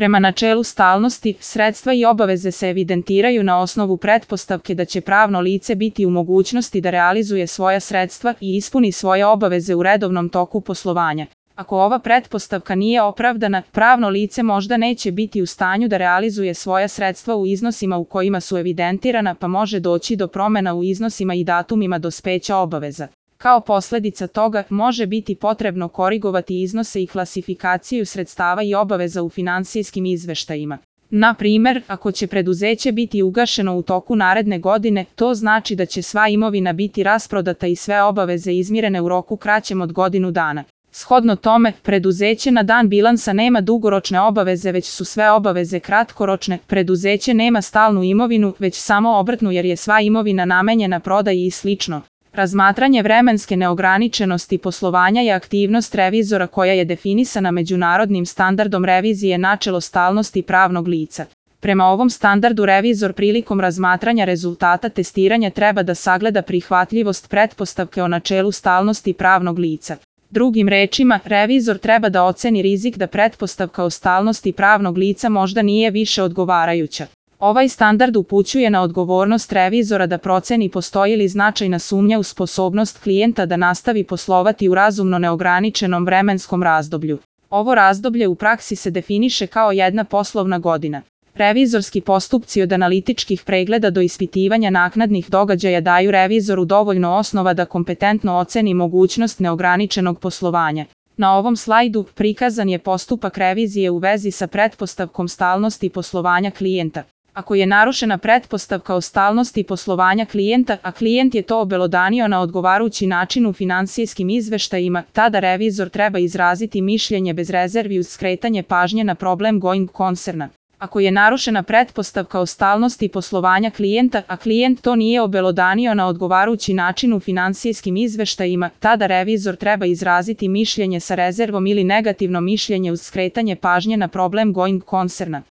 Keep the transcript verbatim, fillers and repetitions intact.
Prema načelu stalnosti, sredstva i obaveze se evidentiraju na osnovu pretpostavke da će pravno lice biti u mogućnosti da realizuje svoja sredstva i ispuni svoje obaveze u redovnom toku poslovanja. Ako ova pretpostavka nije opravdana, pravno lice možda neće biti u stanju da realizuje svoja sredstva u iznosima u kojima su evidentirana, pa može doći do promjena u iznosima i datumima dospeća obaveza. Kao posljedica toga, može biti potrebno korigovati iznose i klasifikaciju sredstava i obaveza u finansijskim izveštajima. Na primjer, ako će preduzeće biti ugašeno u toku naredne godine, to znači da će sva imovina biti rasprodata i sve obaveze izmirene u roku kraćem od godinu dana. Shodno tome, preduzeće na dan bilansa nema dugoročne obaveze, već su sve obaveze kratkoročne. Preduzeće nema stalnu imovinu, već samo obrtnu, jer je sva imovina namenjena prodaji i slično. Razmatranje vremenske neograničenosti poslovanja je aktivnost revizora koja je definisana međunarodnim standardom revizije načelo stalnosti pravnog lica. Prema ovom standardu revizor prilikom razmatranja rezultata testiranja treba da sagleda prihvatljivost pretpostavke o načelu stalnosti pravnog lica. Drugim rečima, revizor treba da oceni rizik da pretpostavka o stalnosti pravnog lica možda nije više odgovarajuća. Ovaj standard upućuje na odgovornost revizora da proceni postoji li značajna sumnja u sposobnost klijenta da nastavi poslovati u razumno neograničenom vremenskom razdoblju. Ovo razdoblje u praksi se definiše kao jedna poslovna godina. Revizorski postupci od analitičkih pregleda do ispitivanja naknadnih događaja daju revizoru dovoljno osnova da kompetentno oceni mogućnost neograničenog poslovanja. Na ovom slajdu prikazan je postupak revizije u vezi sa pretpostavkom stalnosti poslovanja klijenta. Ako je narušena pretpostavka o stalnosti poslovanja klijenta, a klijent je to obelodanio na odgovarajući način u finansijskim izveštajima, tada revizor treba izraziti mišljenje bez rezervi uz skretanje pažnje na problem going koncerna. Ako je narušena pretpostavka o stalnosti poslovanja klijenta, a klijent to nije obelodanio na odgovarajući način u finansijskim izveštajima, tada revizor treba izraziti mišljenje sa rezervom ili negativno mišljenje uz skretanje pažnje na problem going koncerna.